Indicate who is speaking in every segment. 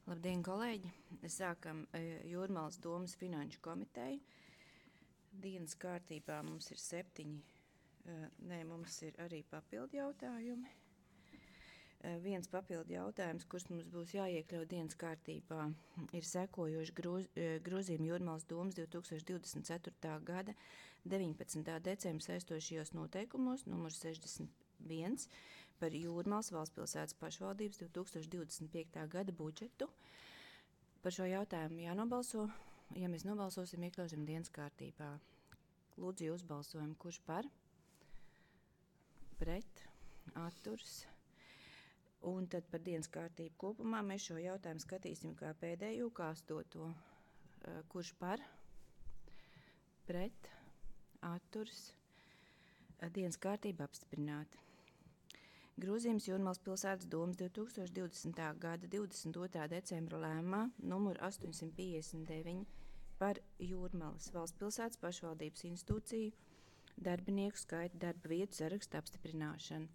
Speaker 1: Labdien, kolēģi! Sākam Jūrmalas domas finanšu komiteju. Dienas kārtībā mums ir 7. Mums ir arī papildu jautājumi. Viens papildu jautājums, kurš mums būs jāiekļaut dienas kārtībā, ir sekojoši grozījumi Jūrmalas domas 2024. gada 19. decembra saistošajos noteikumos numur 61 par Jūrmalas valstspilsētas pašvaldības 2025. gada budžetu. Par šo jautājumu jānobalso. Ja mēs nobalsosim, iekļausim dienas kārtībā. Lūdzu, jūs balsojumu. Kurš par? Pret? Atturs? Un tad par dienas kārtību kopumā mēs šo jautājumu skatīsim kā pēdējo, kā 8. Kurš par? Pret? Atturs? Dienas kārtība apstiprināta. Grozījums Jūrmalas pilsētas domas 2020. gada 22. decembra lēmumā numur 859 par Jūrmalas valstspilsētas pašvaldības institūciju darbinieku skaita darba vietu saraksta apstiprināšanu.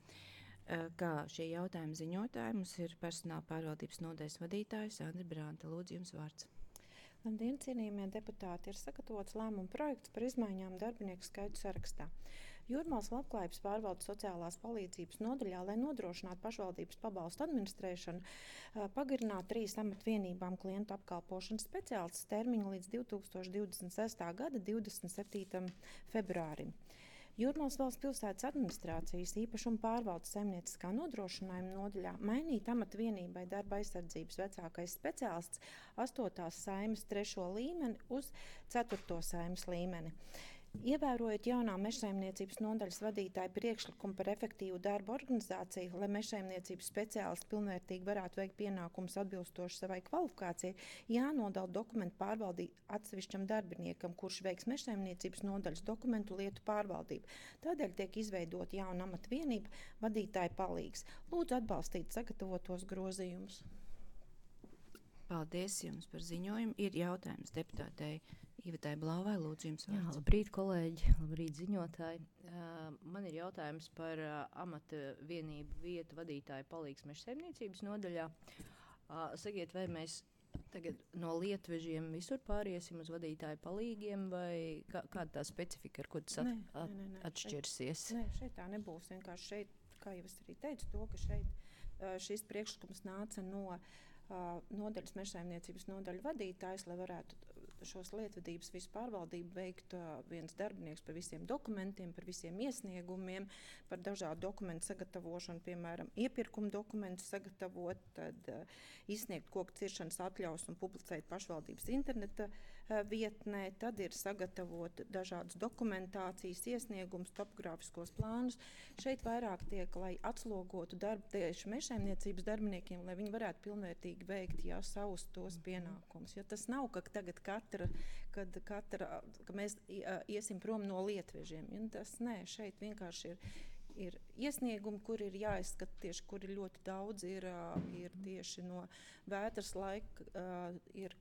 Speaker 1: Kā šie jautājumi ziņotāji, mums ir personāla pārvaldības nodaļas vadītājs Sandra Branta. Lūdzu, jums vārds.
Speaker 2: Labdien, cienījamie deputāti! Ir sagatavots lēmuma projekts par izmaiņām darbinieku skaitu sarakstā. Jūrmalas labklājības pārvaldes sociālās palīdzības nodaļā, lai nodrošinātu pašvaldības pabalstu administrēšanu, pagarināt 3 amatvienībām klientu apkalpošanas speciālistes termiņu līdz 2026. gada 27. februārim. Jūrmalas valsts pilsētas administrācijas īpašuma pārvaldes saimnieciskā nodrošinājuma nodaļā mainīt amatvienībai darba aizsardzības vecākais speciālists 8. saimes 3. līmeni uz 4. saimes līmeni. Ievērojot jaunā mežsaimniecības nodaļas vadītāja priekšlikumu par efektīvu darbu organizāciju, lai mežsaimniecības speciālisti pilnvērtīgi varētu veikt pienākumus atbilstoši savai kvalifikācijai, jānodala dokumentu pārvaldību atsevišķam darbiniekam, kurš veiks mežsaimniecības nodaļas dokumentu lietu pārvaldību. Tādēļ tiek izveidota jauna amatvienība vadītāja palīgs. Lūdzu atbalstīt sagatavotos grozījumus.
Speaker 1: Paldies jums par ziņojumu. Ir jautājums deputātei Ivetai Blāvai. Lūdzu, jums vārds.
Speaker 3: Jā, labrīt, kolēģi, labrīt, ziņotāji. Man ir jautājums par amata vienību vietu vadītāju palīgs mežsaimniecības nodaļā. Sakiet, vai mēs tagad no lietvežiem visur pāriesim uz vadītāju palīgiem, vai kāda tā specifika, ar ko tas atšķirsies?
Speaker 2: Šeit tā nebūs. Vienkārši šeit, kā jau es arī teicu, to, ka šeit šis priekšlikums nāca no nodaļas mežsaimniecības nodaļu vadītājs, lai varētu šos lietvedības visu pārvaldību veikt viens darbinieks par visiem dokumentiem, par visiem iesniegumiem, par dažādu dokumentu sagatavošanu, piemēram, iepirkuma dokumentu sagatavot, tad izsniegt koku ciršanas atļaus un publicēt pašvaldības interneta vietnē, tad ir sagatavot dažādas dokumentācijas, iesniegumus, topogrāfiskos plānus. Šeit vairāk tiek, lai atslogotu darbu tieši mežsaimniecības darbiniekiem, lai viņi varētu pilnvērtīgi veikt savus tos pienākumus. Jo tas nav, ka tagad ka mēs iesim prom no lietvežiem. Ja, tas nē, šeit vienkārši ir iesniegumi, kur ir jāizskata tieši, kur ir ļoti daudz, ir tieši no vētras laika,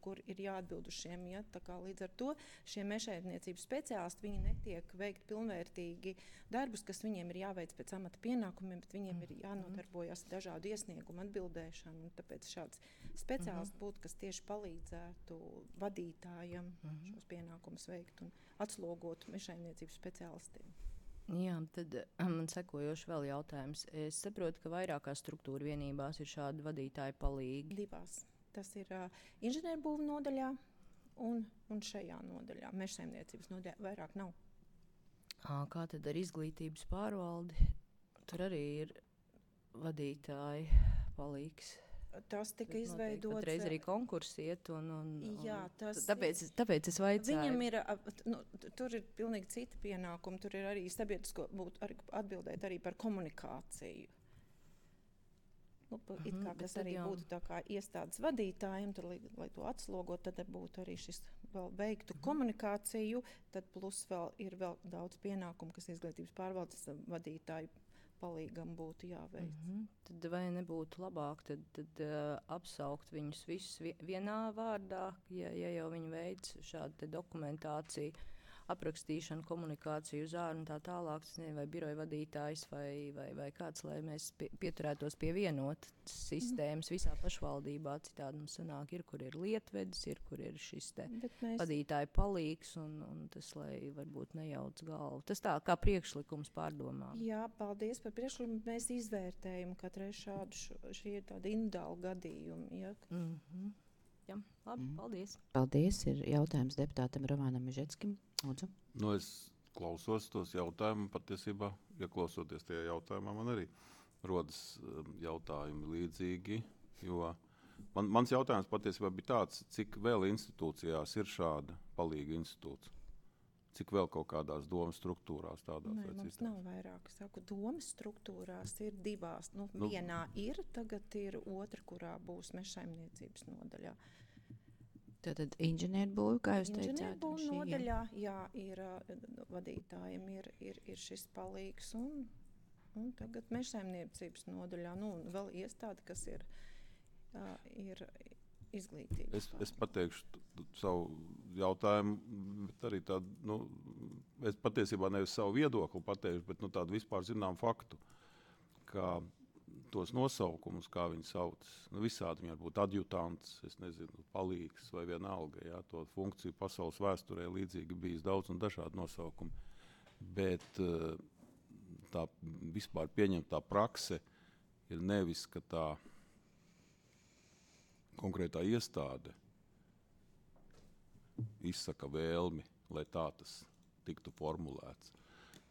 Speaker 2: kur ir jāatbild uz šiem. Ja, tā kā līdz ar to šie mežsaimniecības speciālisti, viņi netiek veikt pilnvērtīgi darbus, kas viņiem ir jāveic pēc amata pienākumiem, bet viņiem ir jānodarbojas dažādu iesniegumu atbildēšanu. Un tāpēc šāds speciālists būtu, kas tieši palīdzētu vadītājam šos pienākumus veikt un atslogotu mežsaimniecības speciālistiem.
Speaker 3: Jā, tad man sekojoši vēl jautājums. Es saprotu, ka vairākās struktūra vienībās ir šādi vadītāji palīgi.
Speaker 2: 2. Tas ir inženierbūvu nodaļā un šajā nodaļā. Mežsaimniecības nodaļā vairāk nav.
Speaker 3: Kā tad ar izglītības pārvaldi? Tur arī ir vadītāji palīgs.
Speaker 2: Tas tika izveidots.
Speaker 3: Patreiz arī konkursi iet
Speaker 2: jā,
Speaker 3: tāpēc es vaicāju.
Speaker 2: Viņam ir, tur ir pilnīgi citi pienākumi, tur ir arī sabiedrisko atbildēt arī par komunikāciju. It kā tas arī būtu tā kā iestādes vadītājiem, tad, lai to atslogot, tad būtu arī šis vēl veiktu komunikāciju, tad plus vēl ir vēl daudz pienākumu, kas izglītības pārvaldes vadītāju palīgam būtu jāveic.
Speaker 3: Tad vai nebūtu labāk tad apsaukt viņus visus vienā vārdā, ja jau viņi veic šādu dokumentāciju, aprakstīšanu, komunikāciju uz āru un tā tālāk, vai biroja vadītājs vai kāds, lai mēs pieturētos pie vienotas sistēmas visā pašvaldībā. Citādi mums sanāk, kur ir lietvedis, kur ir šis te vadītāja palīgs, un tas, lai varbūt nejauc galvu. Tas tā kā priekšlikums pārdomām.
Speaker 2: Jā, paldies par priekšlikumu. Mēs izvērtējam katrai šī ir tāda individuāla gadījuma. Ja?
Speaker 3: Jā, labi, paldies.
Speaker 1: Paldies. Ir jautājums deputātam Romanam Mežetskim. Lūdzu.
Speaker 4: Es klausos tos jautājumus, patiesībā, klausoties tajā jautājumā, man arī rodas jautājumi līdzīgi, jo mans jautājums patiesībā bija tāds, cik vēl institūcijās ir šāda palīga institūts? Cik vēl kaut kādās domas struktūrās tādās vai citās?
Speaker 2: Mums nav vairāk. Saku, domas struktūrās ir divās. Vienā ir, tagad ir otra, kurā būs mežsaimniecības nodaļā.
Speaker 1: Tātad inženierbūvi, kā jūs teicāt?
Speaker 2: Inženierbūvi nodaļā, jā, ir vadītājiem ir šis palīgs, un tagad mežsaimniecības nodaļā, un vēl iestāde, kas ir izglītības.
Speaker 4: Es pateikšu savu jautājumu, bet arī tādu, es patiesībā nevis savu viedokli pateikšu, bet tādu vispār zinām faktu, ka tos nosaukumus, kā viņi sauc, visādi viņi var būt adjutants, es nezinu, palīgs vai vienalga, jā, to funkciju pasaules vēsturē līdzīgi bijis daudz un dažādi nosaukumi. Bet tā vispār pieņemtā prakse ir nevis, ka tā konkrētā iestāde izsaka vēlmi, lai tā tas tiktu formulēts,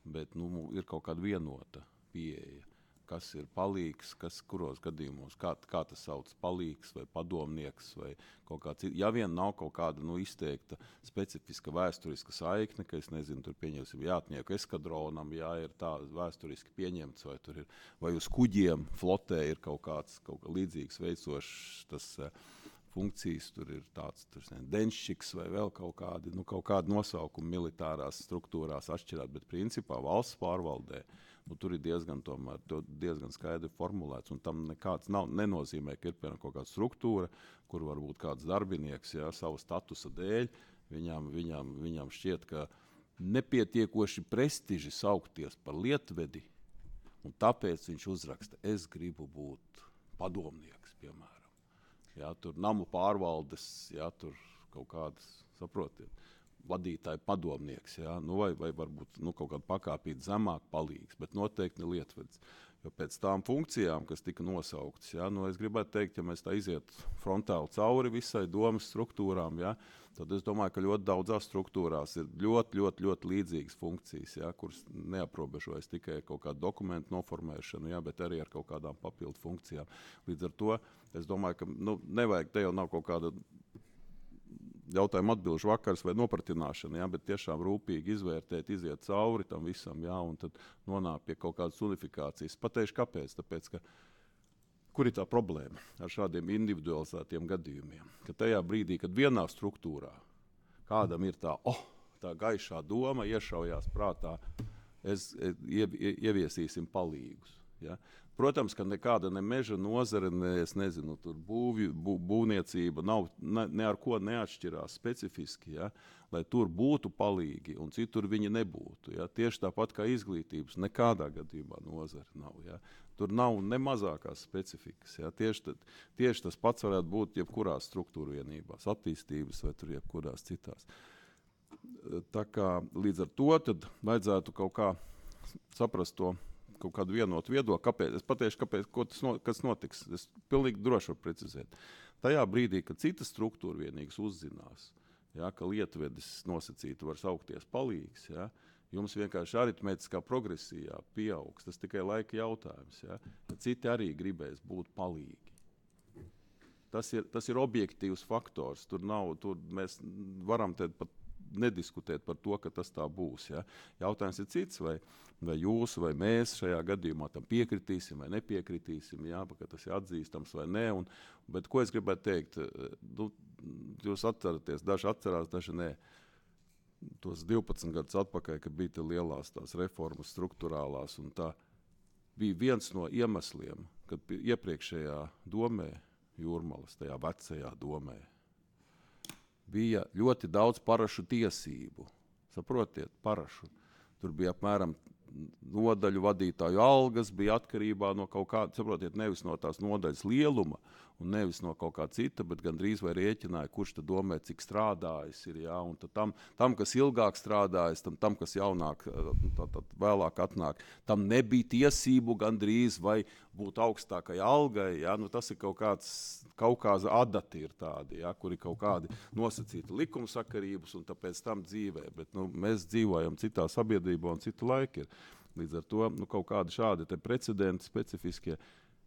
Speaker 4: bet ir kaut kāda vienota pieeja, kas ir palīgs, kuros gadījumos, kā tas sauc palīgs vai padomnieks vai kaut kāds. Ja vien nav kaut kāda izteikta specifiska vēsturiska saikne, ka es nezinu, tur pieņemsim jātnieku eskadronam, jā, ir tā vēsturiski pieņemts, vai tur ir, vai uz kuģiem flotē ir kaut kāds līdzīgs veicošs tas funkcijas, tur ir tāds denščiks vai vēl kaut kādi nosaukumi militārās struktūrās atšķirāt, bet principā valsts pārvaldē tur ir diezgan skaidri formulēts, un tam nekāds nenozīmē, ka ir piemēram kaut kāda struktūra, kur varbūt kāds darbinieks, jā, savu statusa dēļ, viņam šķiet, ka nepietiekoši prestiži saukties par lietvedi, un tāpēc viņš uzraksta, es gribu būt padomnieks, piemēram. Jā, tur namu pārvaldes, jā, tur kaut kādas, saprotiet, vadītāja padomnieks, jā, vai varbūt kaut kāda pakāpīt zemāk palīgs, bet noteikti ne lietvedis. Jo pēc tām funkcijām, kas tika nosauktas, jā, es gribētu teikt, ja mēs tā iziet frontāli cauri visai domas struktūrām, jā, tad es domāju, ka ļoti daudzās struktūrās ir ļoti līdzīgas funkcijas, jā, kuras neaprobežojas tikai kaut kādu dokumentu noformēšanu, jā, bet arī ar kaut kādām papildu funkcijām. Līdz ar to es domāju, ka nevajag, te jau nav kaut kāda jautājumu atbilžu vakars vai nopratināšana, jā, bet tiešām rūpīgi izvērtēt, iziet cauri tam visam, jā, un tad nonāk pie kaut kādas unifikācijas. Pateikšu, kāpēc? Tāpēc, ka kur ir tā problēma ar šādiem individualizētiem gadījumiem? Ka tajā brīdī, kad vienā struktūrā kādam ir tā gaišā doma, iešaujās prātā, ieviesīsim palīgus. Ja? Protams, ka nekāda ne meža nozare, tur būvniecība nav ne ar ko neatšķirās specifiski, ja? Lai tur būtu palīgi un citur viņi nebūtu. Ja? Tieši tāpat kā izglītības, nekādā gadījumā nozare nav. Ja? Tur nav ne mazākās specifikas. Ja? Tieši tas pats varētu būt jebkurās struktūra vienībās, attīstības vai tur jebkurās citās. Tā kā līdz ar to tad vajadzētu kaut kā saprast to, kaut kādu vienotu viedokli, kāpēc. Es pateikšu, kas notiks. Es pilnīgi droši varu precizēt. Tajā brīdī, kad citas struktūra vienīgas uzzinās, ja, ka lietvedis nosacīti var saukties palīgs, ja, jums vienkārši aritmētiskā progresijā pieaugs. Tas tikai laika jautājums. Ja. Citi arī gribēs būt palīgi. Tas ir objektīvs faktors. Tur mēs varam pat nediskutēt par to, ka tas tā būs. Ja? Jautājums ir cits, vai jūs, vai mēs šajā gadījumā tam piekritīsim vai nepiekritīsim, ja? Ka tas ir atzīstams vai nē. Bet ko es gribētu teikt? Jūs atceraties, daži atcerās, daži nē. Tos 12 gadus atpakaļ, kad bija lielās tās reformas struktūrālās, un tā bija viens no iemesliem, kad iepriekšējā domē, Jūrmalas, tajā vecajā domē, bija ļoti daudz parašu tiesību, Saprotiet, parašu. Tur bija apmēram nodaļu vadītāju algas, bija atkarībā no kaut kāda, saprotiet, nevis no tās nodaļas lieluma un nevis no kaut kā cita, bet gandrīz vai rēķināja, kurš tad domē, cik strādājis ir, jā, un tad tam kas ilgāk strādājis, tam kas jaunāk, vēlāk atnāk, tam nebija tiesību gandrīz vai būt augstākai algai, jā, nu tas ir kaut kāda adati ir tādi, jā, kuri kaut kādi nosacīti likumsakarības un tāpēc tam dzīvē, bet nu, mēs dzīvojam citā sabiedrībā un citu laiku ir. Līdz ar to nu, kaut kādi šādi te precedenti specifiskie,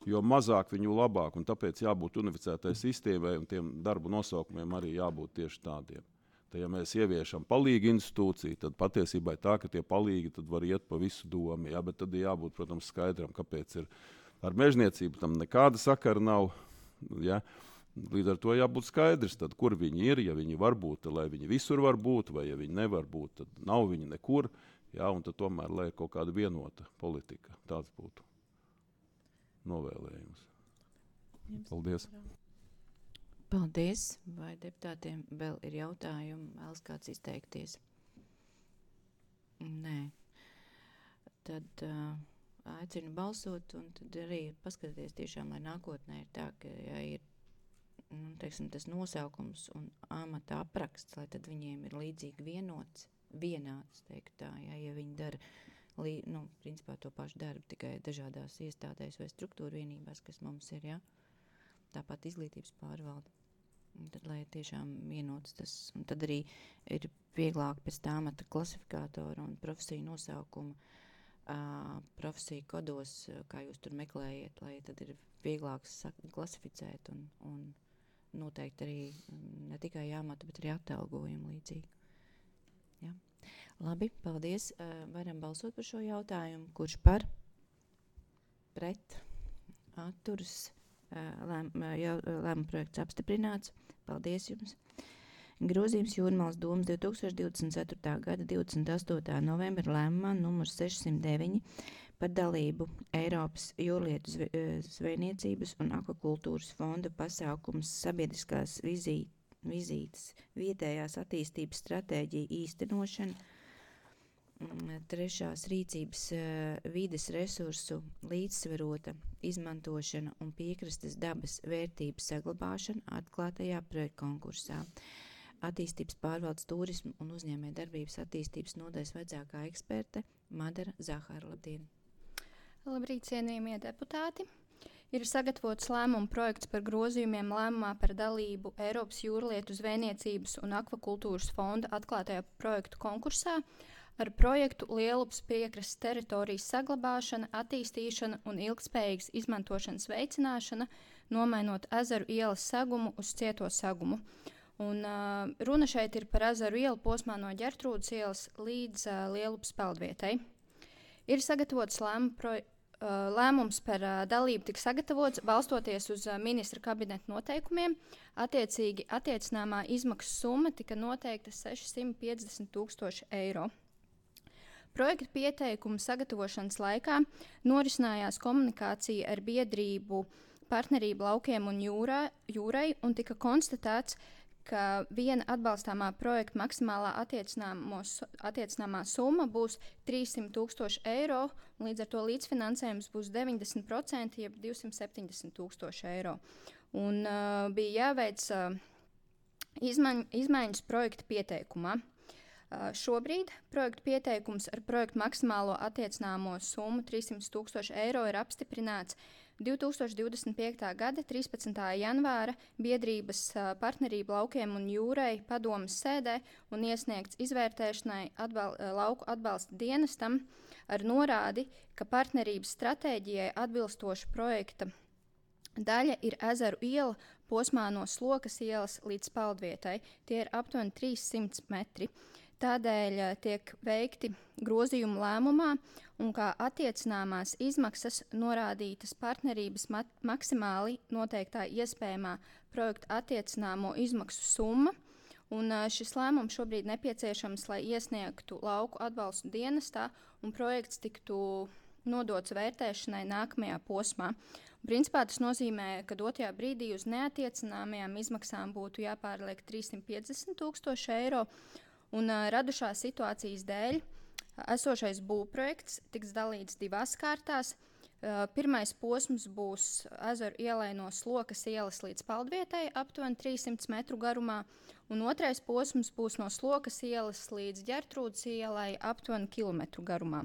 Speaker 4: jo mazāk viņu labāk, un tāpēc jābūt unificētai sistēmai un tiem darbu nosaukumiem arī jābūt tieši tādiem. Tad, ja mēs ieviešam palīgi institūciju, tad patiesībā ir tā, ka tie palīgi tad var iet pa visu domu, jā, bet tad ir jābūt, protams, skaidram, kāpēc ir ar mežniecību tam nekāda sakara nav, jā. Līdz ar to jābūt skaidrs, tad, kur viņi ir, ja viņi var būt, lai viņi visur var būt, vai ja viņi nevar būt, tad nav viņi nekur, jā, un tad tomēr, lai ir kaut kāda vienota politika, tāds būtu novēlējums. Paldies.
Speaker 1: Paldies. Vai deputātiem vēl ir jautājumi? Vēlas kāds izteikties? Nē. Tad aicinu balsot un tad arī paskatīties tiešām, lai nākotnē ir tā, ka ja ir teiksim, tas nosaukums un amata apraksts, lai tad viņiem ir līdzīgi vienāds, teikt tā, ja viņi dara principā to pašu darbu, tikai dažādās iestādēs vai struktūra vienībās, kas mums ir, ja? Tāpat izglītības pārvalde. Un tad, lai tiešām vienots tas, un tad arī ir vieglāk pēc tā amata klasifikātora un profesiju nosaukuma, profesiju kodos, kā jūs tur meklējiet, lai tad ir vieglāk klasificēt un noteikti arī ne tikai amata, bet arī atalgojumu līdzīgi. Ja? Labi, paldies. Varam balsot par šo jautājumu. Kurš par? Pret? Atturas? Lēmuma projekts apstiprināts. Paldies jums. Grozījums Jūrmālas domas 2024. gada 28. novembra lēmumā numur 609 par dalību Eiropas jūrlietu zvejniecības un akvakultūras fonda pasākums sabiedriskās vizītes vietējās attīstības stratēģija īstenošana, trešās rīcības vides resursu līdzsvarota izmantošana un piekrastes dabas vērtības saglabāšana atklātajā projektkonkursā. Attīstības pārvaldes turismu un uzņēmē darbības attīstības nodaļas vecākā eksperte Madara Zahara. Labdien!
Speaker 5: Labrīt, cienījamie deputāti! Ir sagatavots lēmuma projekts par grozījumiem lēmumā par dalību Eiropas jūrlietu zvejniecības un akvakultūras fonda atklātajā projektu konkursā ar projektu Lielupas piekrastes teritorijas saglabāšana, attīstīšana un ilgtspējīgas izmantošanas veicināšana, nomainot ezeru ielas segumu uz cieto segumu. Un, runa šeit ir par ezeru ielu posmā no Ģertrūdes ielas līdz Lielupas peldvietai. Ir sagatavots lēmums par dalību tika sagatavots balstoties uz ministra kabineta noteikumiem. Attiecīgi attiecināmā izmaksu summa tika noteikta 650 000 eiro. Projekta pieteikuma sagatavošanas laikā norisinājās komunikācija ar biedrību partnerību laukiem un jūrai un tika konstatēts, ka viena atbalstāmā projekta maksimālā attiecināmā summa būs 300 000 eiro, un līdz ar to līdzfinansējums būs 90%, jeb 270 000 eiro. Un bija jāveic izmaiņas projekta pieteikumā. Šobrīd projekta pieteikums ar projektu maksimālo attiecināmo summu 300 000 eiro ir apstiprināts 2025. gada 13. janvāra biedrības partnerību laukiem un jūrai padomes sēdē un iesniegts izvērtēšanai lauku atbalsta dienestam ar norādi, ka partnerības stratēģijai atbilstoša projekta daļa ir ezeru iela posmā no Slokas ielas līdz peldvietai. Tie ir aptuveni 300 metri. Tādēļ tiek veikti grozījumi lēmumā un kā attiecināmās izmaksas norādītas partnerības maksimāli noteiktā iespējamā projekta attiecināmo izmaksu summa. Un šis lēmums šobrīd nepieciešams, lai iesniegtu lauku atbalstu dienestā un projekts tiktu nodots vērtēšanai nākamajā posmā. Principā tas nozīmē, ka dotajā brīdī uz neattiecināmajām izmaksām būtu jāpārliek 350 000 eiro. Un radušās situācijas dēļ esošais būvprojekts tiks dalīts 2 kārtās. Pirmais posms būs ezeru ielai no Slokas ielas līdz Paldvietai, aptuveni 300 metru garumā, un otrais posms būs no Slokas ielas līdz Ģertrūdes ielai, aptuveni kilometru garumā.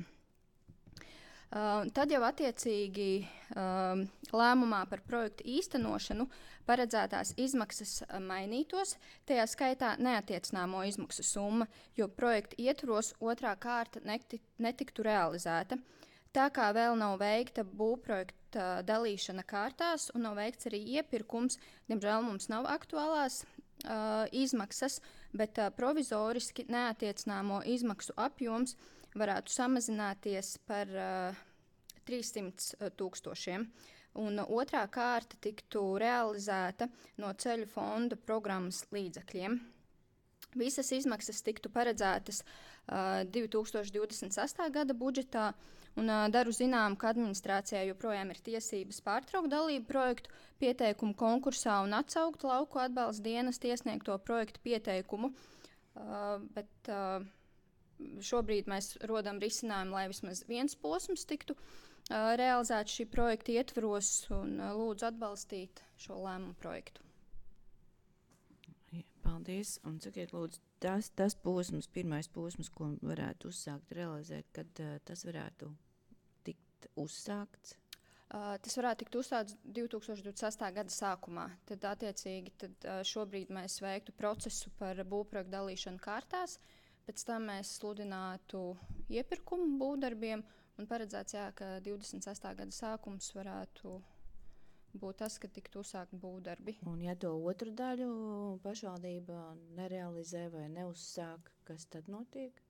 Speaker 5: Tad jau attiecīgi lēmumā par projektu īstenošanu paredzētās izmaksas mainītos, tajā skaitā neattiecināmo izmaksu summa, jo projekta ietvaros otrā kārta netiktu realizēta. Tā kā vēl nav veikta būvprojekta dalīšana kārtās un nav veikts arī iepirkums, diemžēl mums nav aktuālās izmaksas, bet provizoriski neattiecināmo izmaksu apjoms varētu samazināties par 300 000. Un otrā kārta tiktu realizēta no ceļu fonda programmas līdzekļiem. Visas izmaksas tiktu paredzētas 2026. gada budžetā, un daru zinām, ka administrācijā joprojām ir tiesības pārtraukt dalību projektu pieteikumu konkursā un atsaukt lauku atbalsta dienesta iesniegto projektu pieteikumu, bet šobrīd mēs rodam risinājumu, lai vismaz viens posms tiktu realizēts šī projekta ietvaros, un lūdzu atbalstīt šo lēmumu projektu.
Speaker 1: Paldies. Un sakiet, lūdzu, tas posms, pirmais posms, ko varētu uzsākt realizēt, kad tas varētu tikt uzsākts?
Speaker 5: Tas varētu tikt uzsākts 2028. gada sākumā. Tad, attiecīgi, šobrīd mēs veiktu procesu par būvprojektu dalīšanu kārtās, pēc tam mēs sludinātu iepirkumu būvdarbiem un paredzēts, ka 28. gada sākums varētu būt tas, ka tiktu uzsākt būvdarbi.
Speaker 1: Un ja to otru daļu pašvaldība nerealizē vai neuzsāk, kas tad notiek?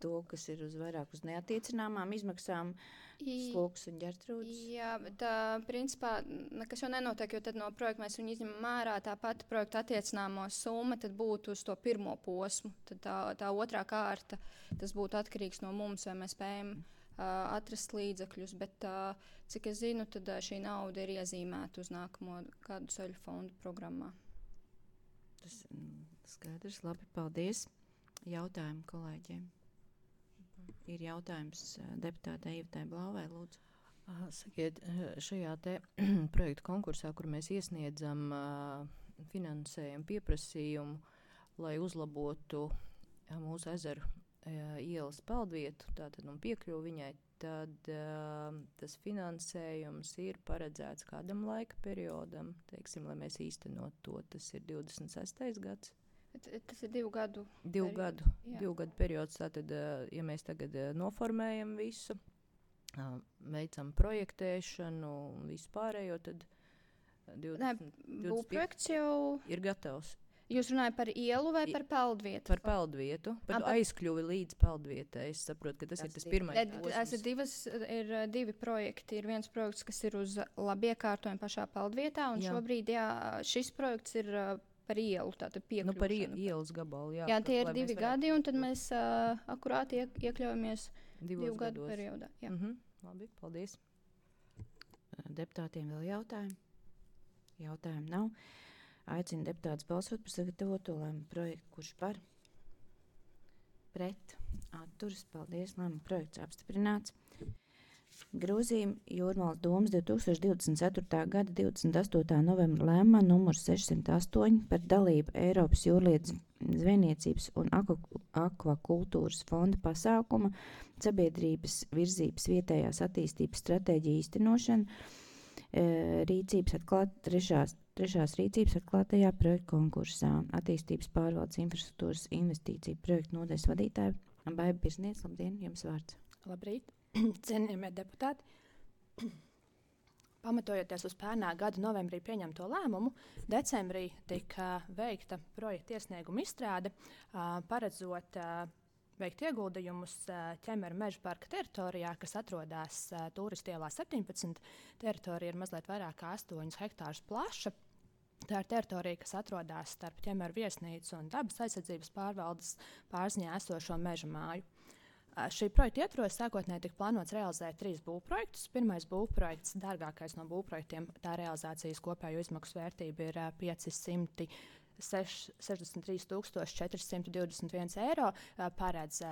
Speaker 1: To, kas ir vairāk uz neattiecināmām izmaksām, Slokas un Ģertrūdes?
Speaker 5: Jā, bet principā nekas jau nenotiek, jo tad no projekta mēs viņu izņemam ārā, tā pati projekta attiecināmo summa tad būtu uz to pirmo posmu. Tad tā otrā kārta, tas būtu atkarīgs no mums, vai mēs spējam atrast līdzekļus, bet cik es zinu, tad šī nauda ir iezīmēta uz nākamo kādu ceļu fondu programmā.
Speaker 1: Tas skaidrs, labi, paldies. Jautājumu kolēģiem. Ir jautājums deputātei Ivetai Blāvai, lūdzu.
Speaker 3: Sakiet, šajā te projektu konkursā, kur mēs iesniedzam finansējumu pieprasījumu, lai uzlabotu mūsu ezeru ielas peldvietu, tātad piekļuvu viņai, tad tas finansējums ir paredzēts kādam laika periodam, teiksim, lai mēs īstenot to. Tas ir 26. gads.
Speaker 5: Tas ir 2 gadu.
Speaker 3: 2 gadu periods. Tātad, ja mēs tagad noformējam visu, veicam projektēšanu un visu pārējo, tad 25
Speaker 5: būvprojekts jau
Speaker 3: ir gatavs.
Speaker 5: Jūs runājat par ielu vai par peldvietu?
Speaker 3: Par peldvietu, par aizkļuvi līdz peldvietai. Es saprotu, ka tas ir tas pirmais posms.
Speaker 5: Ir 2 projekti. Ir viens projekts, kas ir uz labi iekārtojumu pašā peldvietā, un šobrīd šis projekts ir par ielu, tātad piekļūšanu.
Speaker 3: Par ielas gabalu,
Speaker 5: jā. Jā, tie ir 2 gadi, un tad mēs akurāti iekļaujamies 2 gadu periodā. Jā.
Speaker 3: Labi, paldies.
Speaker 1: Deputātiem vēl jautājumi? Jautājumu nav. Aicinu deputātus balsot par sagatavoto lēmumu projektu. Kurš par? Pret? Atturas. Paldies. Lēmumu projekts apstiprināts. Grozījumi Jūrmalas domes 2024. gada 28. novembra lēmumā numur 608 par dalību Eiropas jūrlietu zvejniecības un akvakultūras fonda pasākuma sabiedrības virzības vietējās attīstības stratēģiju īstenošanu, trešās rīcības atklātajā projektu konkursā. Attīstības pārvaldes infrastruktūras investīciju projektu nodaļas vadītāja Baiba Birzniece. Labdien, jums vārds.
Speaker 2: Labrīt, cienījamie deputāti. Pamatojoties uz pērnā gada novembrī pieņemto lēmumu, decembrī tika veikta projekta iesnieguma izstrāde, paredzot veikt ieguldījumus Ķemeru meža parka teritorijā, kas atrodas Tūristu ielā 17. Teritorija ir mazliet vairāk kā 8 hektārus plaša. Tā ir teritorija, kas atrodas starp Ķemeru viesnīcu un dabas aizsardzības pārvaldes pārziņā esošo meža māju. Šī projekta ietvaros sākotnēji tika plānots realizēt 3 būvprojektus. Pirmais būvprojekts, dārgākais no būvprojektiem, tā realizācijas kopējo izmaksu vērtība ir 500 63 421 eiro paredz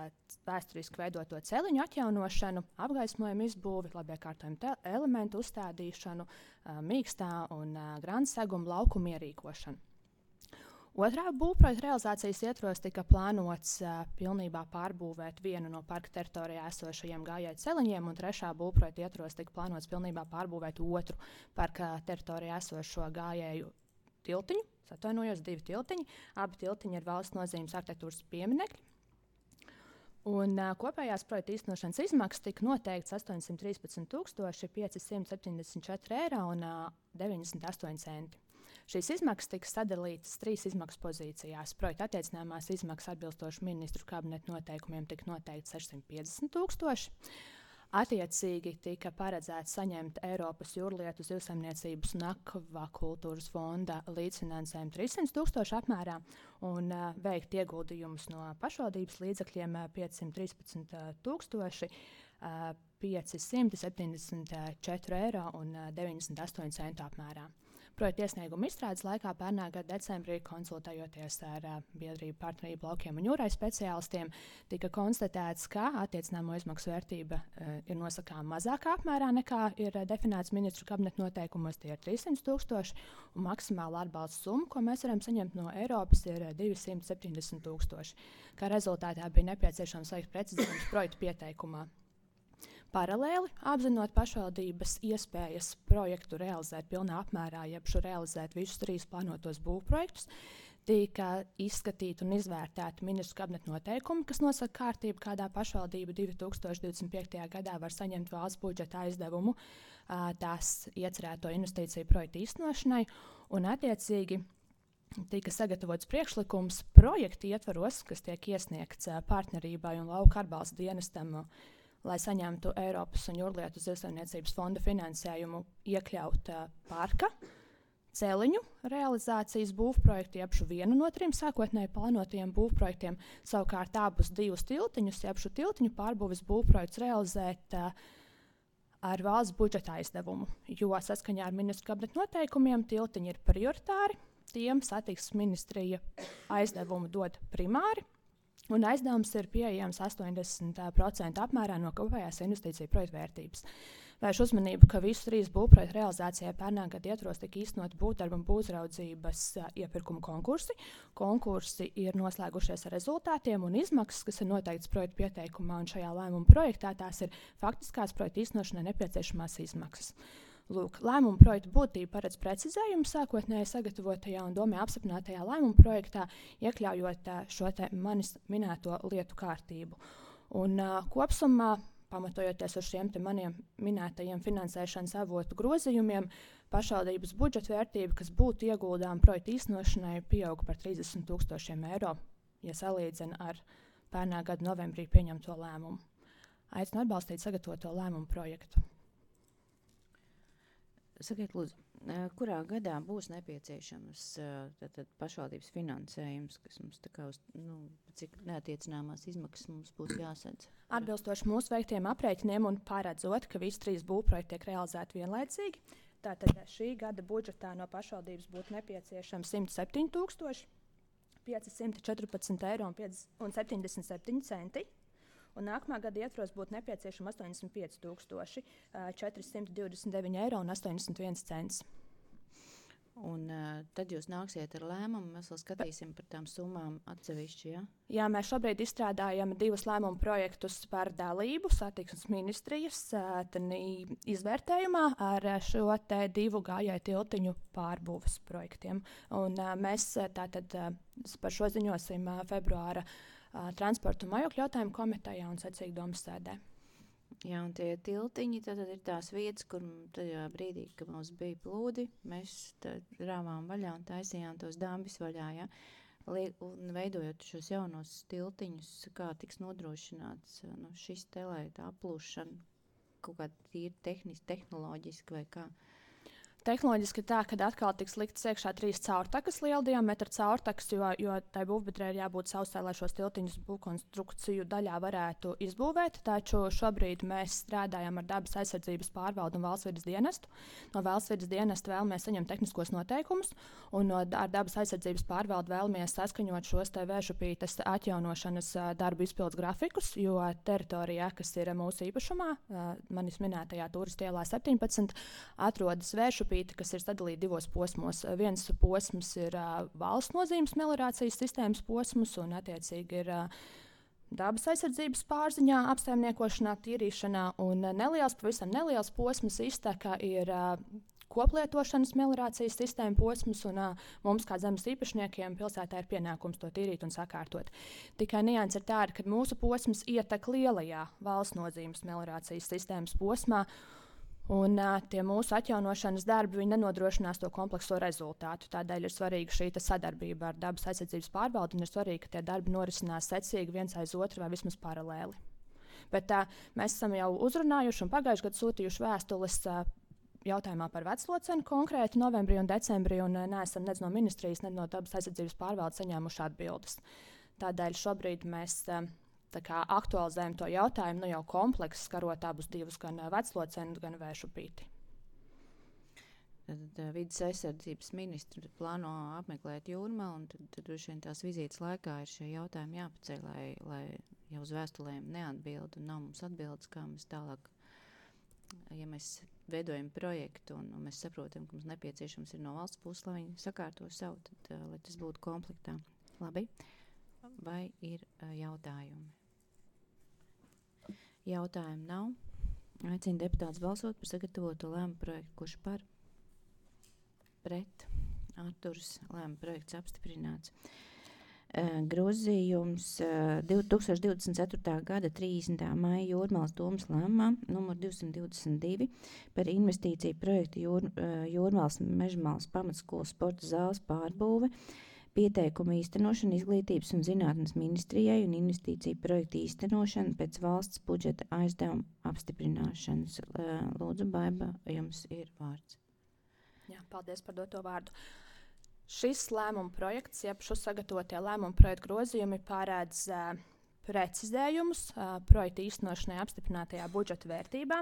Speaker 2: vēsturiski veidoto celiņu atjaunošanu, apgaismojumu izbūvi, labiekārtojumu elementu uzstādīšanu, mīkstā un grāna seguma laukumu ierīkošanu. Otrā būvprojekta realizācijas ietvaros tika plānots pilnībā pārbūvēt vienu no parka teritorijā esošajiem gājēju celiņiem, un trešā būvprojekta ietvaros tika plānots pilnībā pārbūvēt otru parka teritorijā esošo gājēju tiltiņu. Atvainojos, 2 tiltiņi. Abi tiltiņi ir valsts nozīmes arhitektūras pieminekļi. Un kopējās projekta īstenošanas izmaksas tika noteikts 813 574 eiro un 98 centi. Šīs izmaksas tika sadalītas 3 izmaksu pozīcijās. Projekta attiecināmās izmaksas atbilstoši ministru kabineta noteikumiem tika noteikts 650 000. Attiecīgi tika paredzēts saņemt Eiropas jūrlietu zivsaimniecības un akvakultūras fonda līdzfinansējumu 300 000 apmērā un veikt ieguldījumus no pašvaldības līdzekļiem 513 574 eiro un 98 centu apmērā. Projekta iesnieguma izstrādes laikā pērnā gada decembrī, konsultējoties ar biedrību partnerību laukiem un jūrai speciālistiem, tika konstatēts, ka attiecināmo izmaksu vērtība ir nosakāma mazākā apmērā nekā ir definēts ministru kabineta noteikumos, tie ir 300 000, un maksimāla atbalsta summa, ko mēs varam saņemt no Eiropas, ir 270 000. Kā rezultātā bija nepieciešams veikt precizējumus projektu pieteikumā. Paralēli, apzinot pašvaldības iespējas projektu realizēt pilnā apmērā, jeb realizēt visus 3 plānotos būvprojektus, tika izskatīti un izvērtēti ministru kabineta noteikumi, kas nosaka kārtību, kādā pašvaldība 2025. gadā var saņemt valsts budžeta aizdevumu tās iecerēto investīciju projektu īstenošanai, un attiecīgi tika sagatavots priekšlikums projektu ietvaros, kas tiek iesniegts partnerībai un lauka atbalsta dienestam, lai saņemtu Eiropas un jūrlietu zivsaimniecības fonda finansējumu, iekļaut parka celiņu realizācijas būvprojektu, jeb vienu no 3 sākotnēji plānotajiem būvprojektiem, savukārt abus 2 tiltiņus, jeb tiltiņu pārbūves būvprojektus realizēt ar valsts budžeta aizdevumu, jo saskaņā ar ministru kabineta noteikumiem tiltiņi ir prioritāri, tiem satiksmes ministrija aizdevumu dod primāri, un aizdevums ir pieejams 80% apmērā no kopējās investīciju projekta vērtības. Vēršu uzmanību, ka visu 3 būvprojektu realizācijai pērnā gada ietvaros tika īstenoti būvdarba un būvraudzības iepirkuma konkursi. Konkursi ir noslēgušies ar rezultātiem un izmaksas, kas ir noteikts projekta pieteikumā, un šajā lēmuma projektā tās ir faktiskās projekta īstenošanai nepieciešamās izmaksas. Lūk, lēmuma projekta būtība paredz precizējumu sākotnēji sagatavotajā un domē apstiprinātajā lēmuma projektā, iekļaujot šo te manis minēto lietu kārtību. Un kopsumā, pamatojoties uz šiem te maniem minētajiem finansēšanas avotu grozījumiem, pašvaldības budžeta vērtība, kas būtu ieguldām projekta īstenošanai, pieauga par 30 000 eiro, ja salīdzina ar pērnā gada novembrī pieņemto lēmumu. Aicinu atbalstīt sagatavoto lēmumu projektu.
Speaker 1: Sakiet, lūdzu, kurā gadā būs nepieciešams pašvaldības finansējums, kas mums tā kā uz, cik neatiecināmās izmaksas mums būtu jāsadz?
Speaker 2: Atbilstoši mūsu veiktiem aprēķiniem un paredzot, ka visi 3 būvprojekti tiek realizēti vienlaicīgi, tātad šī gada budžetā no pašvaldības būtu nepieciešams 107 514 eiro un 77 centi. Un nākamā gada ietvaros būtu nepieciešama 85 429 eiro un 81 cents.
Speaker 1: Un tad jūs nāksiet ar lēmumu, mēs vēl skatīsim par tām summām atsevišķi, ja?
Speaker 2: Jā, mēs šobrīd izstrādājam 2 lēmumu projektus par dalību satiksmes ministrijas izvērtējumā ar šo te 2 gājēju tiltiņu pārbūves projektiem. Un mēs tātad par šo ziņosim februāra transporta un mājokļu jautājumu komitejā un secīgi domas sēdē.
Speaker 1: Jā, un tie tiltiņi tad ir tās vietas, kur tajā brīdī, kad mums bija plūdi, mēs rāvām vaļā un taisījām tos dambis vaļā, ja? Un veidojot šos jaunos tiltiņus, kā tiks nodrošināts šis te, lai tā aplūšana kaut kā tīri tehnoloģiski vai kā?
Speaker 6: Tehnoloģiski tā, ka atkal tiks liktas iekšā 3 caurtakas liela diametra caurtakas, jo tai būvbiedrē ir jābūt sausai, lai šos tiltiņus būvkonstrukciju daļā varētu izbūvēt. Taču šobrīd mēs strādājam ar dabas aizsardzības pārvaldu un valsts vides dienestu. No valsts vides dienesta vēlamies saņemt tehniskos noteikumus, un ar dabas aizsardzības pārvaldu vēlamies saskaņot šos vēršupītes atjaunošanas darbu izpildes grafikus, jo teritorijā, kas ir mūsu īpašumā, manis minētajā Turistu ielā 17, atrodas vēršupīte, kas ir sadalīta 2 posmos. Viens posms ir valsts nozīmes meliorācijas sistēmas posms, un attiecīgi ir dabas aizsardzības pārziņā, apsaimniekošanā, tīrīšanā, un pavisam neliels posms izteka ir koplietošanas meliorācijas sistēma posms, un mums, kā zemes īpašniekiem, pilsētā ir pienākums to tīrīt un sakārtot. Tikai nianse ir tāda, ka mūsu posms ietek lielajā valsts nozīmes meliorācijas sistēmas posmā, un tie mūsu atjaunošanas darbi nenodrošinās to komplekso rezultātu. Tādēļ ir svarīga šī sadarbība ar dabas aizsardzības pārvaldu, un ir svarīgi, ka tie darbi norisinās secīgi viens aiz otru vai vismaz paralēli. Bet mēs esam jau uzrunājuši un pagājušajā gadā sūtījuši vēstules jautājumā par vecloceni konkrēti novembrī un decembrī, un neesam nec no ministrijas, nec no dabas aizsardzības pārvaldes saņēmuši atbildes. Tādēļ šobrīd mēs aktualizējam to jautājumu, jau komplekss skarot abus divus, gan vecloceni, gan vēršupīti.
Speaker 1: Tad vides aizsardzības ministri plāno apmeklēt Jūrmalu, un tad droši vien tās vizītes laikā ir šie jautājumi jāpaceļ, lai jau uz vēstulēm neatbild, un nav mums atbildes, kā mēs tālāk, ja mēs veidojam projektu, un mēs saprotam, ka mums nepieciešams ir no valsts puses, lai viņi sakārto savu, tad, lai tas būtu komplektā. Labi? Vai ir jautājumi? Jautājumu nav. Aicinu deputātus balsot par sagatavoto lēmumu projektu. Kurš par? Pret? Atturs. Lēmuma projekts apstiprināts. Grozījums 2024. gada 30. maija Jūrmalas domes lēmumā numur 222 par investīciju projektu Jūrmalas Mežmalas pamatskolas sporta zāles pārbūve, pieteikumu īstenošanu Izglītības un zinātnes ministrijai un investīciju projektu īstenošanu pēc valsts budžeta aizdevuma apstiprināšanas. Lūdzu, Baiba, jums ir vārds.
Speaker 6: Jā, paldies par doto vārdu. Šis lēmuma projekts, jeb šo sagatavotie lēmuma projektu grozījumi pārēdz precizējumus projektu īstenošanai apstiprinātajā budžeta vērtībā.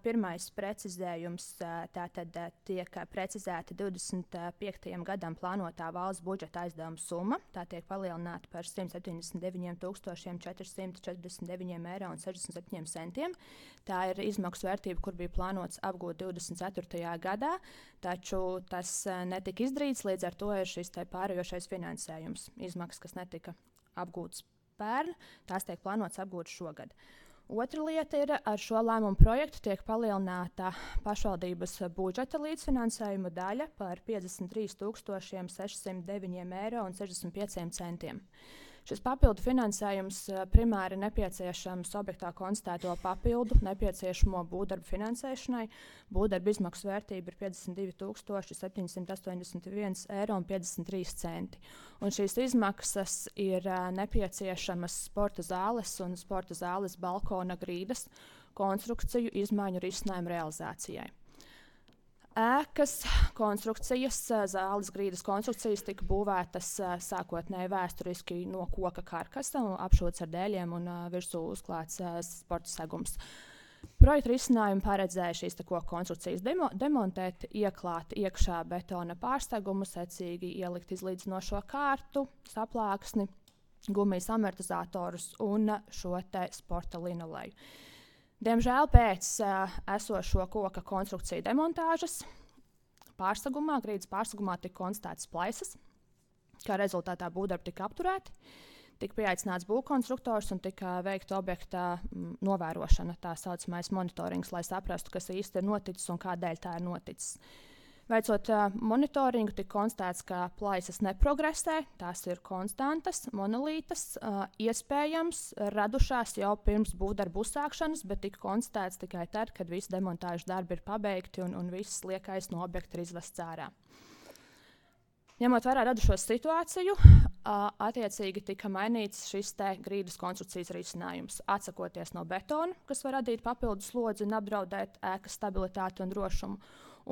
Speaker 6: Pirmais precizējums tātad tiek precizēta 25. gadam plānotā valsts budžeta aizdevuma summa. Tā tiek palielināta par 179,449,67 eiro. Tā ir izmaksu vērtība, kur bija plānots apgūt 24. gadā, taču tas netika izdarīts, līdz ar to ir šis pārējošais finansējums. Izmaksas, kas netika apgūtas pērn, tās tiek plānotas apgūt šogad. Otra lieta ir, ar šo lēmumu projektu tiek palielināta pašvaldības budžeta līdzfinansējuma daļa par 53,609,65 eiro. Šis papildu finansējums primāri nepieciešams objektā konstatēto papildu nepieciešamo būvdarbu finansēšanai. Būvdarbu izmaksu vērtība ir 52,781,53 eiro. Un šīs izmaksas ir nepieciešamas sporta zāles un sporta zāles balkona grīdas konstrukciju izmaiņu risinājumu realizācijai. Ēkas konstrukcijas, zāles grīdas konstrukcijas tika būvētas sākotnēji vēsturiski no koka karkasa, apšūts ar dēļiem un virsū uzklāts sporta segums. Projekta risinājumi paredzēja šīs koka konstrukcijas demontēt, ieklāt iekšā betona pārstegumu, secīgi ielikt izlīdzinošo kārtu, saplāksni, gumijas amortizatorus un šo sporta linoleju. Diemžēl pēc esošo koka konstrukciju demontāžas grīdas pārsegumā tika konstatētas plaisas, kā rezultātā būvdarbi tika apturēti, tika pieaicināts būvkonstruktors un tika veikta objekta novērošana, tā saucamais monitorings, lai saprastu, kas īsti ir noticis un kādēļ tā ir noticis. Veicot monitoringu, tika konstatēts, ka plaisas neprogresē, tās ir konstantas, monolītas, iespējams radušās jau pirms būvdarbu uzsākšanas, bet tika konstatēts tikai tad, kad visi demontāžas darbi ir pabeigti un viss liekais no objekta ir izvests ārā. Ņemot vērā radušo situāciju, attiecīgi tika mainīts šis grīdas konstrukcijas risinājums, atsakoties no betona, kas var radīt papildus slodzi un apdraudēt ēkas stabilitāti un drošumu,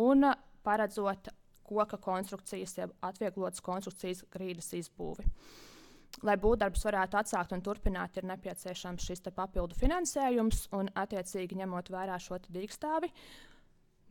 Speaker 6: un paredzot koka konstrukcijas, jeb atvieglotas konstrukcijas grīdas izbūvi. Lai būvdarbus varētu atsākt un turpināt, ir nepieciešams šis papildu finansējums, un attiecīgi ņemot vērā šo dīkstāvi,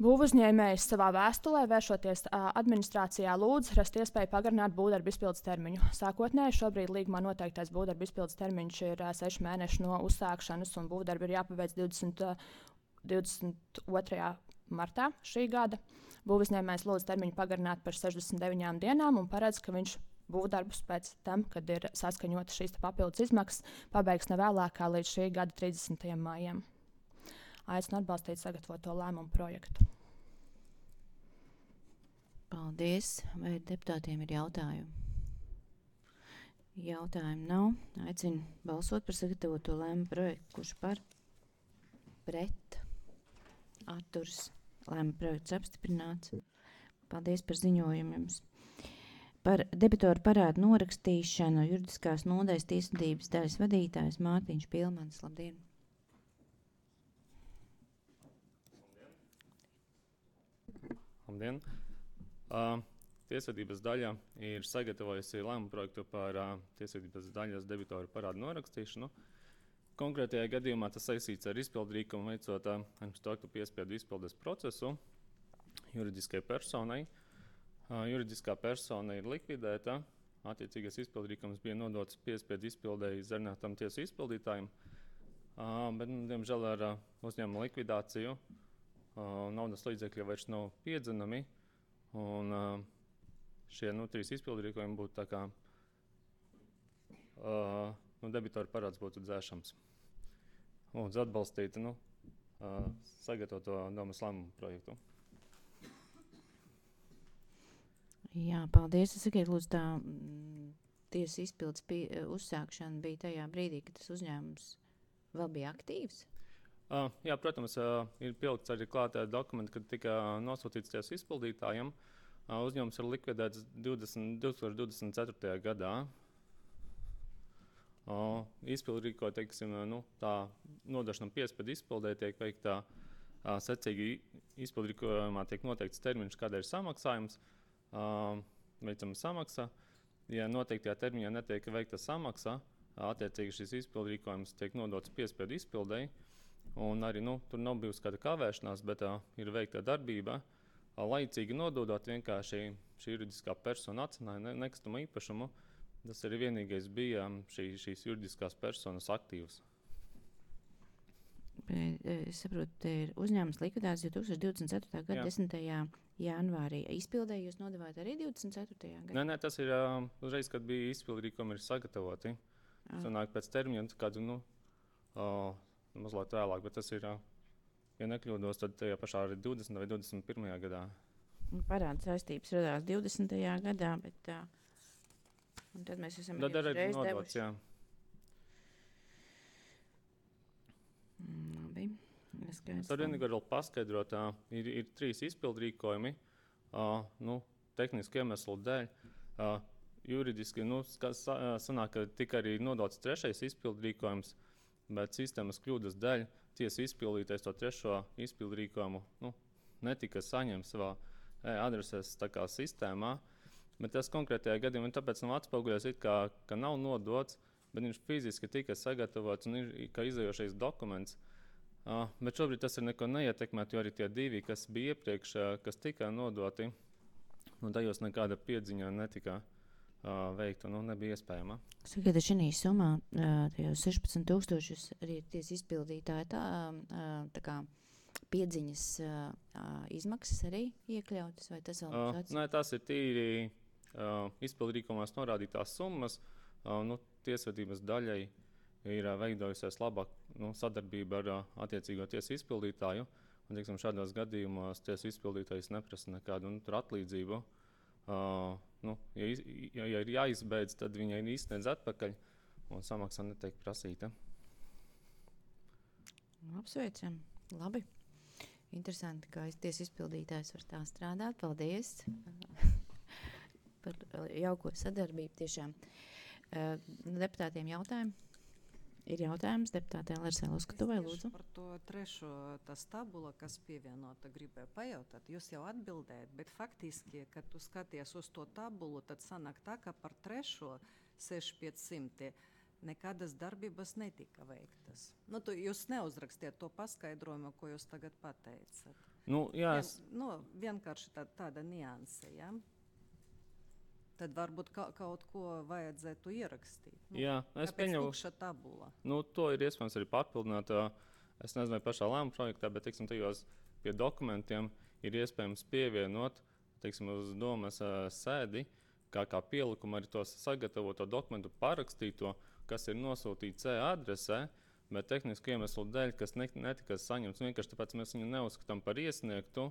Speaker 6: būvuzņēmējs savā vēstulē, vēršoties administrācijā, lūdz rast iespēju pagarināt būvdarbu izpildes termiņu. Sākotnēji šobrīd līgumā noteiktais būvdarbu izpildes termiņš ir 6 mēneši no uzsākšanas, un būvdarbi ir jāpaveic 22. martā šī gada. Būvuzņēmējs lūdz termiņu pagarināt par 69 dienām un paredz, ka viņš būvdarbus pēc tam, kad ir saskaņotas šīs papildus izmaksas, pabeigs nevēlākā līdz šī gada 30. maijam. Aicinu atbalstīt sagatavoto lēmumu projektu.
Speaker 1: Paldies. Vai deputātiem ir jautājumi? Jautājumu nav. Aicinu balsot par sagatavoto lēmumu projektu. Kurš par? Pret? Atturs? Lēmuma projekts apstiprināts. Paldies par ziņojumu jums. Par debitoru parādu norakstīšanu juridiskās nodaļas tiesvedības daļas vadītājs Mārtiņš Pilmans. Labdien!
Speaker 7: Labdien! Tiesvedības daļa ir sagatavojusi lēmumu projektu par tiesvedības daļas debitoru parādu norakstīšanu. Konkrētajā gadījumā tas saistīts ar izpildrīkumu veicot aktu piespiedu izpildes procesu juridiskai personai. Juridiskā persona ir likvidēta, attiecīgais izpildrīkums bija nodots piespiedu izpildēji zarinātam tiesu izpildītājiem, bet, diemžēl, ar uzņēmuma likvidāciju naudas līdzekļi vairs nav piedzenami, un šie 3 izpildrīkojumi būtu tā kā debitoru parāds būtu dzēšams. Lūdzu atbalstīt sagatavoto domas lēmumu projektu.
Speaker 1: Jā, paldies. Es sakiet, lūdzu, tā tiesas izpildes uzsākšana bija tajā brīdī, kad tas uzņēmums vēl bija aktīvs?
Speaker 7: Jā, protams, ir pielikts arī klātā dokumenti, kad tika nosūtīts tiesu izpildītājiem. Uzņēmums ir likvidēts 2024. gadā. Izpildrīko, teiksim, tā nodošana piespiedu izpildē tiek veikta secīgi izpildrīkojumā tiek noteikts termiņš, kāda ir samaksājums, veicama samaksa. Ja noteiktajā termiņā netiek veikta samaksa, attiecīgi šis izpildrīkojums tiek nodots piespiedu izpildēji, un arī tur nav bijusi kāda kavēšanās, bet ir veikta darbība, laicīgi nododot vienkārši šī juridiskā persona atcināja nekustamo īpašumu. Tas arī vienīgais bija šīs juridiskās personas aktīvs.
Speaker 1: Es saprotu, te ir uzņēmums likvidēts 2024. gada 10. janvārī. Izpildē jūs nodevāt arī 24. gadā?
Speaker 7: Nē, tas ir uzreiz, kad bija izpildrīkumi ir sagatavoti. Sanāk pēc termiņa, kādu, mazliet vēlāk, bet tas ir, ja nekļūdos, tad tajā pašā arī 20. vai 21. gadā.
Speaker 1: Parāda saistības radās 20. gadā, bet un tad mēs esam
Speaker 7: reiz nodots, jā.
Speaker 1: Labi.
Speaker 7: Tad vienīgi vēl paskaidrot, ir 3 izpildrīkojumi, tehniski iemeslu dēļ. Juridiski, sanāk, ka tika arī nodots 3. izpildrīkojums, bet sistēmas kļūdas dēļ tiesa izpildītais to 3. izpildrīkojumu netika saņemts savā adreses tā kā sistēmā. Bet tas konkrētajā gadījumā tāpēc nav atspoguļots, ka nav nodots, bet viņš fiziski tika sagatavots un ir kā izējošais dokuments. Bet šobrīd tas ir neko neietekmēt, jo arī tie 2, kas bija iepriekš, kas tika nodoti, tajos nekāda piedziņa netika veikta, nebija iespējama.
Speaker 1: Sakiet, šī summā, tajos 16,000 arī tiesa izpildītāji tā kā piedziņas izmaksas arī iekļautas, vai tas vēl būs atsaukt?
Speaker 7: Nē, tas ir tīri izpildrīkumās norādītās summas. Tiesvedības daļai ir veidojusies labāk sadarbība ar attiecīgo tiesu izpildītāju. Un, teiksim, šādos gadījumos tiesu izpildītājs neprasa nekādu atlīdzību. Ja ir jāizbeidz, tad viņai izsniedz atpakaļ un samaksa netiek prasīta.
Speaker 1: Apsveicam. Labi. Interesanti, kā tiesa izpildītājs var tā strādāt. Paldies par jauko sadarbību tiešām. Deputātiem jautājumi? Ir jautājums deputātei Larsai Luskatovai, lūdzu.
Speaker 8: Par to trešo tas tabula, kas pievienota, gribēju pajautāt. Jūs jau atbildējat, bet faktiski, kad tu skaties uz to tabulu, tad sanāk tā, ka par trešo 6500 nekādas darbības netika veiktas. Jūs neuzrakstiet to paskaidrojumu, ko jūs tagad pateicat. Vienkārši tāda nianse, ja? Tad varbūt kaut ko vajadzētu ierakstīt.
Speaker 7: Es pieņemu.
Speaker 8: Tukša tabula.
Speaker 7: To ir iespējams arī pārpildināt. Es nezinu, vai pašā lēmuma projektā, bet tajos pie dokumentiem ir iespējams pievienot uz domas sēdi, kā pielikumu arī to sagatavoto dokumentu parakstīto, kas ir nosūtīts adresē, bet tehnisku iemeslu dēļ, kas netika saņemts, vienkārši tāpēc mēs viņu neuzskatām par iesniegtu.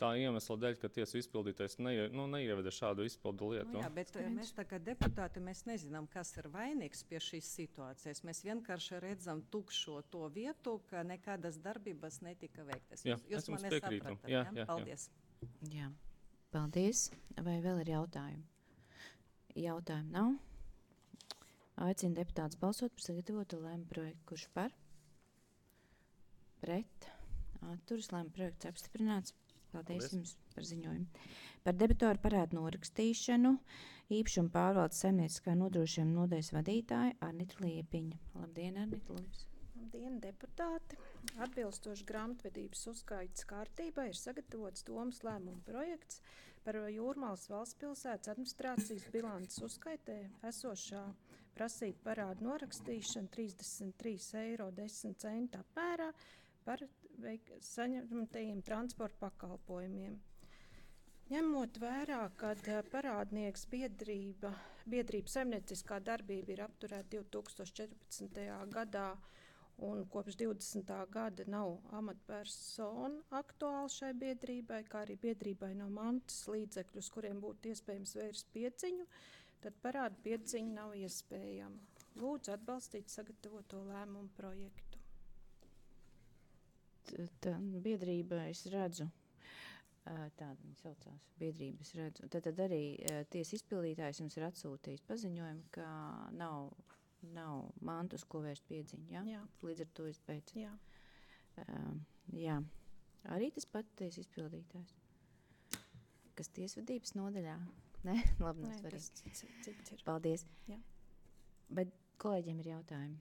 Speaker 7: Tā iemesla dēļ, ka tiesu izpildītājs neieveda šādu izpildu lietu.
Speaker 8: Bet mēs tā kā deputāti, mēs nezinām, kas ir vainīgs pie šīs situācijas. Mēs vienkārši redzam tukšo to vietu, ka nekādas darbības netika veiktas. Jūs mani sapratat, ja? Paldies.
Speaker 1: Jā, paldies. Vai vēl ir jautājumi? Jautājumu nav. Aicinu deputātus balsot par sagatavotu lēmumu projektu. Kurš par? Pret? Atturas. Lēmuma projekts apstiprināts. Paldies jums par ziņojumu. Par debitoru parādu norakstīšanu īpašuma pārvaldes saimnieciskā nodrošinājuma nodaļas vadītāja Arnita Liepiņa. Labdien, Arnita, lūdzu.
Speaker 2: Labdien, deputāti! Atbilstoši grāmatvedības uzskaitas kārtībai ir sagatavots domas lēmuma projekts par Jūrmalas valsts pilsētas administrācijas bilances uzskaitē esošā prasība parādu norakstīšanu 33,10 eiro apmērā par saņemtajiem transporta pakalpojumiem. Ņemot vērā, ka parādnieks biedrības saimnieciskā darbība ir apturēta 2014. gadā un kopš 20. gada nav amatpersona aktuāla šai biedrībai, kā arī biedrībai nav mantas līdzekļu, uz kuriem būtu iespējams vērst piedziņu, tad parādu piedziņa nav iespējama. Lūdzu atbalstīt sagatavoto lēmumu projektu.
Speaker 1: Tā biedrība, es redzu, tāda viņa saucās, biedrība, es redzu. Tad arī tiesa izpildītājs jums ir atsūtījis paziņojumu, ka nav mantus, ko vērst piedziņu, ja?
Speaker 2: Jā.
Speaker 1: Līdz ar to es beidzu.
Speaker 2: Jā.
Speaker 1: Jā. Arī tas pat tiesa izpildītājs. Kas tiesvedības nodaļā? Ne? Labi, nav svarīgi.
Speaker 2: Cits ir.
Speaker 1: Paldies.
Speaker 2: Jā.
Speaker 1: Bet kolēģiem ir jautājumi.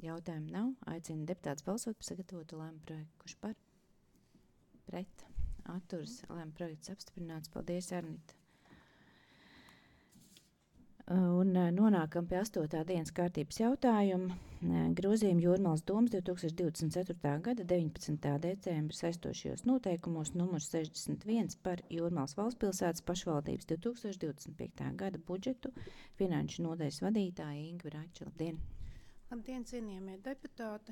Speaker 1: Jautājumu nav. Aicinu deputātus balsot par sagatavotu lēmumu projektu. Kurš par? Pret? Atturas. Lēmumu projekts apstiprināts. Paldies, Arnita. Un nonākam pie 8. dienas kārtības jautājuma. Grozījumi Jūrmalas domas 2024. gada 19. decembra saistošajos noteikumos numurs 61 par Jūrmalas valstspilsētas pašvaldības 2025. gada budžetu finanšu nodaļas vadītāja Ingva Rača. Labdien!
Speaker 9: Labdien, cienījamie deputāti!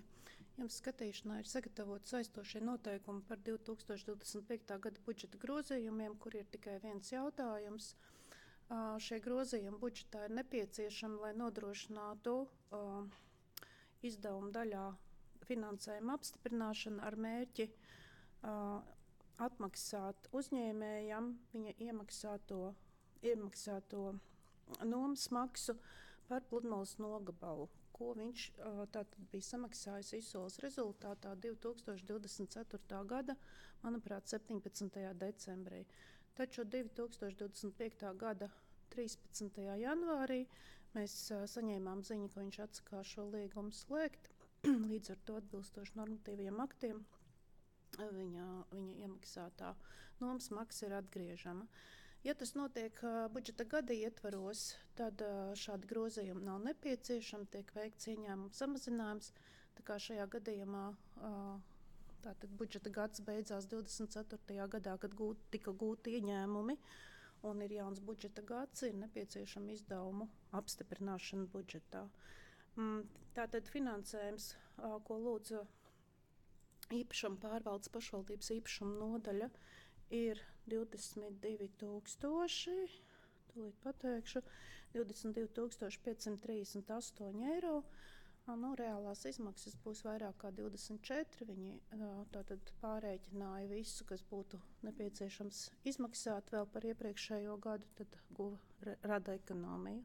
Speaker 9: Jums skatīšanā ir sagatavot saistošie noteikumi par 2025. gada budžeta grozījumiem, kur ir tikai viens jautājums. Šie grozījumi budžetā ir nepieciešami, lai nodrošinātu izdevumu daļā finansējuma apstiprināšanu ar mērķi atmaksāt uzņēmējam viņa iemaksāto nomas maksu par Pludmales nogabalu, ko viņš tātad bija samaksājis izsoles rezultātā 2024. gada, manuprāt, 17. decembrī. Taču 2025. gada 13. janvārī mēs saņēmām ziņu, ka viņš atsakās šo līgumu slēgt. Līdz ar to atbilstoši normatīviem aktiem viņa iemaksātā nomas maksa ir atgriežama. Ja tas notiek budžeta gada ietvaros, tad šādi grozījumi nav nepieciešami, tiek veikts ieņēmumu samazinājums. Tā kā šajā gadījumā tātad budžeta gads beidzās 24. gadā, kad tika gūti ieņēmumi un ir jauns budžeta gads, ir nepieciešama izdevumu apstiprināšana budžetā. Tātad finansējums, ko lūdzu īpašuma pārvaldes pašvaldības īpašuma nodaļa, ir 22,000, tūlīt pateikšu, 22,538 eiro. Reālās izmaksas būs vairāk kā 24. Viņi tātad pārēķināja visu, kas būtu nepieciešams izmaksāt vēl par iepriekšējo gadu, tad rada ekonomiju.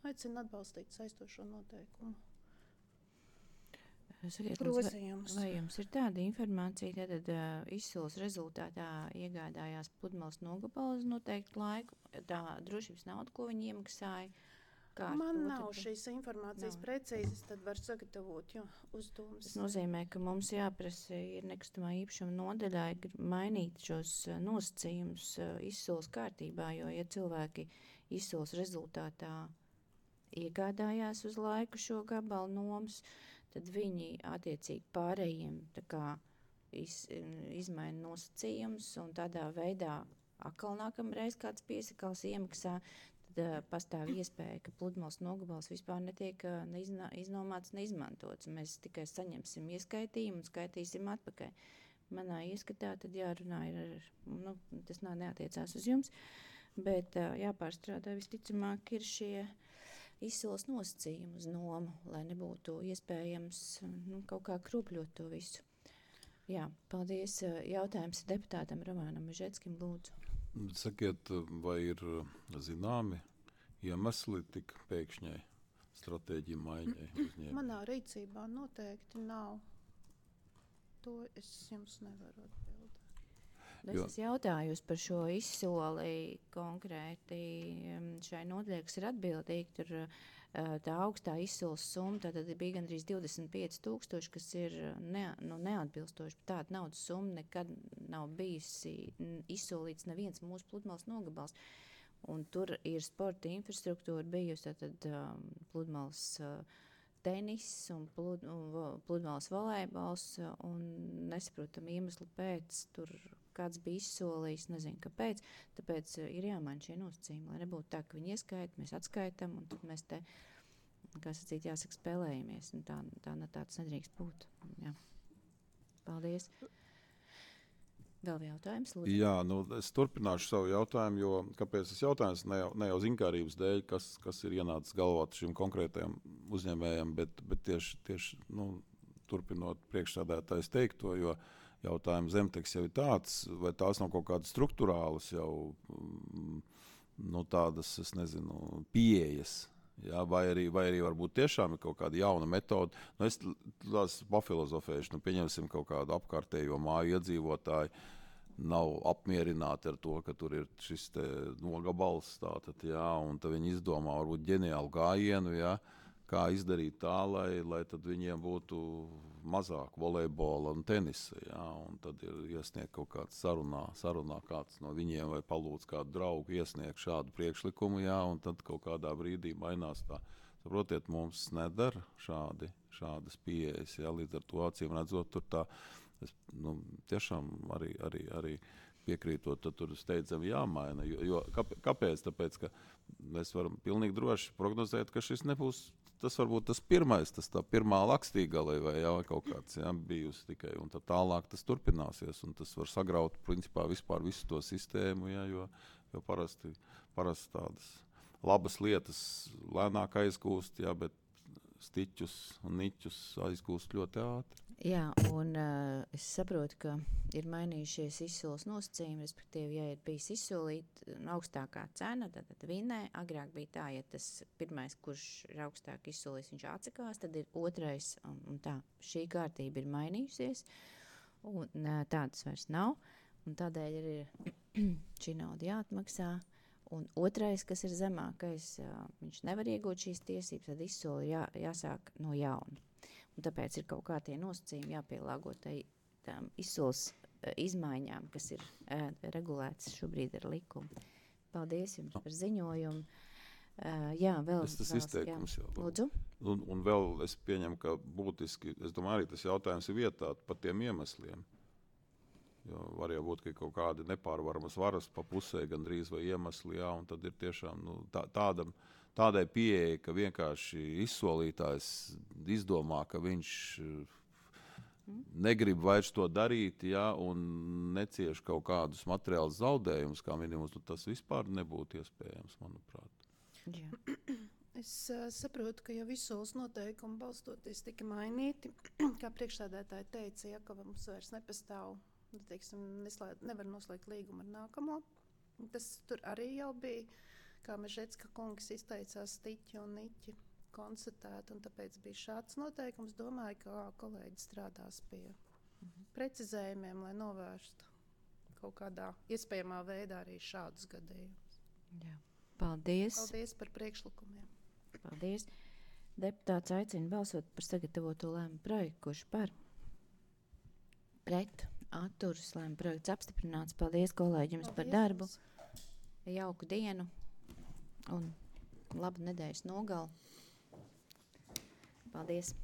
Speaker 9: Aicinu atbalstīt saistošo noteikumu
Speaker 1: Sakiet,
Speaker 9: Grozījums.
Speaker 1: vai jums ir tāda informācija, tad izsoles rezultātā iegādājās pludmales nogabalu uz noteiktu laiku, tā drošības nauda, ko viņi iemaksāja?
Speaker 9: Man nav šīs informācijas precīzes, tad var sagatavot uzdomas.
Speaker 1: Tas nozīmē, ka mums jāprasa ir nekustamā īpašuma nodaļā mainīt šos nosacījumus izsoles kārtībā, jo, ja cilvēki izsoles rezultātā iegādājās uz laiku šo gabalu nomas, tad viņi attiecīgi pārējiem tā kā izmaina nosacījumus un tādā veidā atkal nākamreiz kāds piesakals iemaksā, tad pastāv iespēja, ka pludmales nogabals vispār netiek iznomāts, neizmantots. Mēs tikai saņemsim ieskaitījumu un skaitīsim atpakaļ. Manā ieskatā tad jārunā tas neatiecās uz jums, bet jāpārstrādā visticamāk ir šie izsoles nosacījumi uz nomu, lai nebūtu iespējams kaut kā kropļot to visu. Jā, paldies. Jautājums deputātam Romānam Mežetskim, lūdzu.
Speaker 4: Sakiet, vai ir zināmi iemesli tik pēkšņai stratēģiju maiņai uzņēmumiem?
Speaker 9: Manā rīcībā noteikti nav. To es jums nevaru atbildēt.
Speaker 1: Es jautāju par šo izsoli konkrēti šai nodaļai, kas ir atbildīgi. Tur tā augstā izsoles summa tad bija gandrīz 25,000, kas ir neatbilstoši. Tāda naudas summa nekad nav bijusi izsolīts neviens mūsu pludmales nogabals. Un tur ir sporta infrastruktūra bijusi, tad pludmales tenis un pludmales volejbols, un nesaprotam iemeslu pēc tur kāds bija izsolījis, nezinu kāpēc, tāpēc ir jāmaina šie nosacījumi, lai nebūtu tā, ka viņi ieskaita, mēs atskaitam, un tad mēs te, kā sacīt, jāsaka, spēlējamies, un tāds nedrīkst būt. Jā. Paldies. Vēl jautājums, lūdzu?
Speaker 4: Jā, es turpināšu savu jautājumu, jo kāpēc tas jautājums ne jau zinkārības dēļ, kas ir ienācis galvā šim konkrētajam uzņēmējam, bet tieši turpinot priekšsēdētājs teikto, jo jautājums zemteks jau ir tāds, vai tās nav kaut kādas struktūrālas jau tādas, es nezinu, pieejas, jā, vai arī varbūt tiešām ir kaut kāda jauna metode. Es tās pafilozofēšu, pieņemsim kaut kādu apkārtējo māju iedzīvotāju, nav apmierināti ar to, ka tur ir šis te nogabals, tātad, jā, un tad viņi izdomā varbūt ģeniālu gājienu, jā, kā izdarīt tā, lai tad viņiem būtu mazāk volejbola un tenisa, jā, un tad ir iesniegt kaut kāds sarunā kāds no viņiem vai palūdz kādu draugu iesniegt šādu priekšlikumu, jā, un tad kaut kādā brīdī mainās tā. Saprotiet, mums nedara šādas pieejas, jā, līdz ar to acīm redzot, tur tā, es tiešām arī piekrītot, tad tur steidzami jāmaina, jo kāpēc? Tāpēc, ka mēs varam pilnīgi droši prognozēt, ka šis nebūs tas varbūt tas pirmais, tā pirmā lakstīgale vai kaut kāds bijusi tikai, un tad tālāk tas turpināsies, un tas var sagraut principā vispār visu to sistēmu, jo parasti tādas labas lietas lēnāk aizgūst, bet stiķus un niķus aizgūst ļoti ātri.
Speaker 1: Jā, un es saprotu, ka ir mainījušies izsoles nosacījumi, respektīvi, ja ir bijis izsolīta augstākā cena, tad vinē. Agrāk bija tā, ja tas pirmais, kurš ir augstāk izsolījis, viņš atsakās, tad ir otrais, un tā. Šī kārtība ir mainījusies, un tādas vairs nav, un tādēļ ir šī nauda jāatmaksā. Un otrais, kas ir zemākais, viņš nevar iegūt šīs tiesības, tad izsoli jāsāk no jauna. Un tāpēc ir kaut kā tie nosacījumi jāpielāgo tām izsoles izmaiņām, kas ir regulētas šobrīd ar likumu. Paldies jums par ziņojumu. Jā, vēl
Speaker 4: tas izteikums jau.
Speaker 1: Lūdzu.
Speaker 4: Un vēl es pieņemu, ka būtiski, es domāju, arī tas jautājums ir vietā par tiem iemesliem. Jo var jau būt, ka kaut kādi nepārvaramas varas pa pusē gandrīz vai iemesli, jā, un tad ir tiešām tādai pieeja, ka vienkārši izsolītājs izdomā, ka viņš negrib vairs to darīt, jā, un necieš kaut kādus materiālus zaudējumus, kā minimums, tas vispār nebūtu iespējams, manuprāt.
Speaker 1: Jā.
Speaker 9: Es saprotu, ka jau izsoles noteikumi balstoties tika mainīti, kā priekšsēdētāji teica, ja, ka mums vairs nepastāv, teiksim, nevar noslēgt līgumu ar nākamo. Tas tur arī jau bija, kā Mežetska kungs izteicās, stiķi un niķi. konstatēta, un tāpēc bija šāds noteikums. Domāju, ka kolēģi strādās pie precizējumiem, lai novērstu kaut kādā iespējamā veidā arī šādus gadījumus.
Speaker 1: Jā. Paldies.
Speaker 9: Paldies par priekšlikumiem.
Speaker 1: Paldies. Deputāts aicina balsot par sagatavoto lēmumu projektu, kurš par pret atturas lēmumu projekts apstiprināts. Paldies kolēģiem par darbu. Jauku dienu un labu nedēļas nogalu. Paldies.